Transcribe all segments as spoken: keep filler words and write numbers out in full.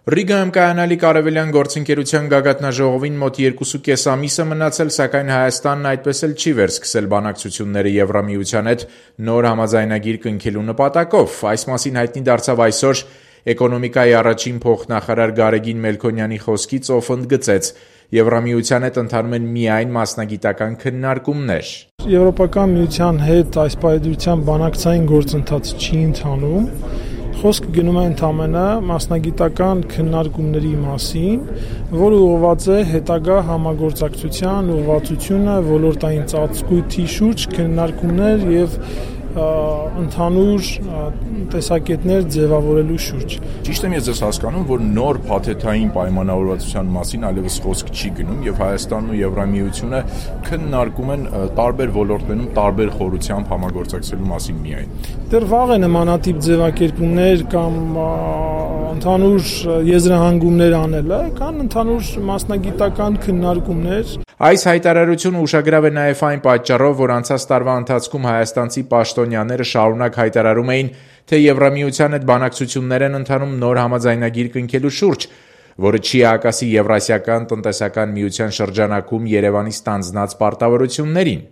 Ռիգայում կայանալիք արևելյան գործընկերության գագաթնաժողովին մոտ երկուսուկես ամիս է մնացել, սակայն Հայաստանն այդպես էլ չի վերսկսել բանակցությունները Եվրամիության հետ նոր համաձայնագիր կնքելու նպատակով։ Այս մասին հայտնի դարձավ այսօր էկոնոմիկայի առաջին փոխնախարար Գարեգին Մելքոնյանի խոսքից, ով ընդգծեց. Եվրամիության հետ ընթանում են միայն մասնագիտական քննարկումներ։ Եվրոպական միության հետ այս պայմանավորության բանակցային գործընթաց չի ընթանում։ Խոսքը գնում է ընդհանրապես մասնագիտական քննարկումների մասին, որը ուղղված է հետագա համագործակցության ուղղվածությունը ոլորտային ծածկույթի շուրջ քննարկումներ եւ ընդհանուր տեսակետներ ձևավորելու շուրջ։ Ճիշտ եմ ես հասկանում, որ նոր փաթեթային պայմանավորվածության մասին այլևս խոսք չի գնում եւ Հայաստանն ու Եվրամիությունը քննարկում են տարբեր ոլորտներում տարբեր խորությամբ համագործակցելու մասին միայն։ Դեռ վաղ է նմանատիպ ձևակերպումներ կամ ընդհանուր եզրահանգումներ անելը, կան ընդհանուր մասնագիտական քննարկումներ։ Այս հայտարարությունը ուշագրավ է նաև այն պատճառով, որ անցած տարվա ընթացքում հայաստանցի պաշտոնյաները շարունակ հայտարարում էին, թե Եվրամիության հետ բանակցություններ են ընթանում նոր համաձայնագիր կնքելու շուրջ, որը չի հակասի Եվրասիական տնտեսական միության շրջանակում Երևանի ստանձնած պարտավորություններին։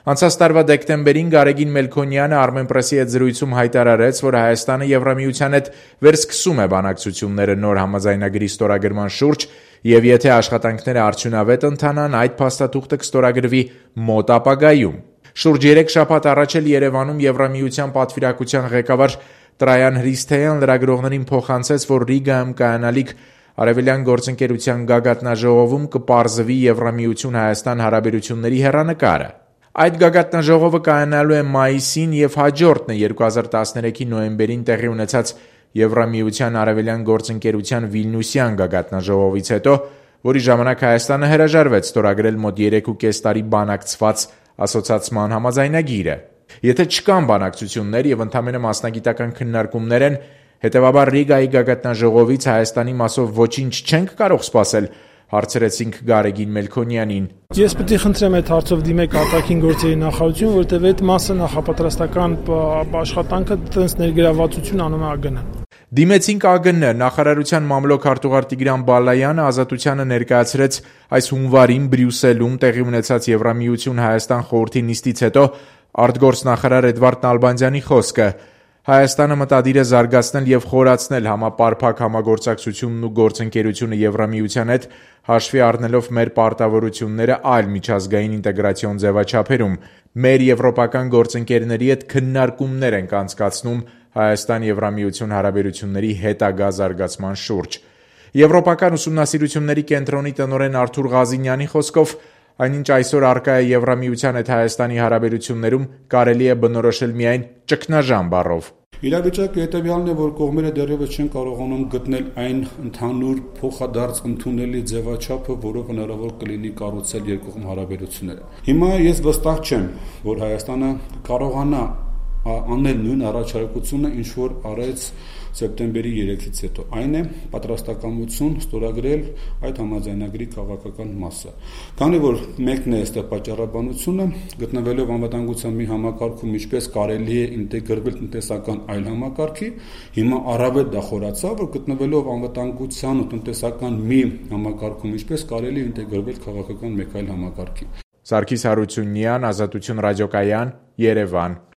Անցած տարվա դեկտեմբերին Գարեգին Մելքոնյանը Armenpress-ի հետ զրույցում հայտարարեց, որ Հայաստանը Եվրամիության հետ վերսկսում է բանակցությունները նոր համաձայնագրի ստորագրման շուրջ եւ եթե աշխատանքները արդյունավետ ընթանան, այդ փաստաթուղթը կստորագրվի մոտ ապագայում։ Շուրջ երեք շաբաթ առաջ էլ Երևանում Եվրամիության պատվիրակության ղեկավար Տրայան Հրիսթեյան լրագրողներին փոխանցեց, որ Ռիգայում կայանալիք արևելյան գործընկերության գագաթնաժողովում կպարզվի Եվրամիություն-Հայաստան հարաբերությունների հեռանկարը։ Այդ գագաթնաժողովը կայանալու է մայիսին եւ հաջորդն է երկու հազար տասներեքի նոյեմբերին տեղի ունեցած Եվրամիության արևելյան գործընկերության Վիլնյուսյան գագաթնաժողովից հետո, որի ժամանակ Հայաստանը հրաժարվեց ստորագրել մոտ երեքուկես տարի բանակցված ասոցիացիան համաձայնագիրը։ Եթե չկան բանակցություններ եւ ընդհանրապես մասնագիտական քննարկումներ են, հետեւաբար Ռիգայի գագաթնաժողովից Հայաստանի մասով ոչինչ չենք կարող սպասել, հարցրեցինք Գարեգին Մելքոնյանին։ Ես պետք է խնդրեմ այդ հարցով դիմեք արտաքին գործերի նախարարություն, որտեղ այդ մասը նախապատրաստական աշխատանքը տենց ներգրավվածություն անում է ԱԳՆ-ը։ Դիմեցինք ԱԳՆ, նախարարության մամլոք արտուղար Տիգրան Բալայանը Ազատությանը ներկայացրեց այս հունվարին Բրյուսելում տեղի ունեցած Եվրամիություն-Հայաստան խորհրդի նիստից հետո արտգործնախարար Էդվարդ Նալբանդյանի խոսքը։ Հայաստանը մտադիր է զարգացնել եւ խորացնել համապարփակ համագործակցությունն ու գործընկերությունը Եվրամիության հետ, հաշվի առնելով մեր պարտավորությունները այլ միջազգային ինտեգրացիոն ձևաչափերում։ Մեր եվրոպական գործընկերների հետ քննարկումներ ենք անցկացնում Հայաստան-Եվրամիություն հարաբերությունների հետագա զարգացման շուրջ։ Եվրոպական ուսումնասիրությունների կենտրոնի տնօրեն Արթուր Ղազինյանի խոսքով այնինչ այսօր առկա է Եվրամիության հետ Հայաստանի հարաբերություններում, կարելի է բնորոշել միայն ճգնաժամ բառով։ Իրավիճակը հետևյալն է, որ կողմերը դեռևս չեն կարողանում գտնել այն ընդհանուր փոխադարձ ընդունելի ձևաչափը, որով հնարավոր կլինի կառուցել երկկողմ հարաբերությունները։ Հիմա ես վստահ չեմ, որ Հայաստանը կարողանա անել նույն առաջարկությունը, ինչ որ արեց սեպտեմբերի երեքից հետո, այն է պատրաստակամություն ստորագրել այդ համաձայնագրի քաղաքական մասը։ Քանի որ մեկն է այստեղ պատճառաբանությունը, գտնվելով անվտանգության մի համակարգում, ինչպես կարելի է ինտեգրվել տնտեսական այլ համակարգի, հիմա առավել դա խորացավ, որ գտնվելով անվտանգության ու տնտեսական մի համակարգում, ինչպես կարելի է ինտեգրվել քաղաքական մեկ այլ համակարգի։ Սարգիս Հարությունյան, Ազատություն ռադիոկայան, Երևան։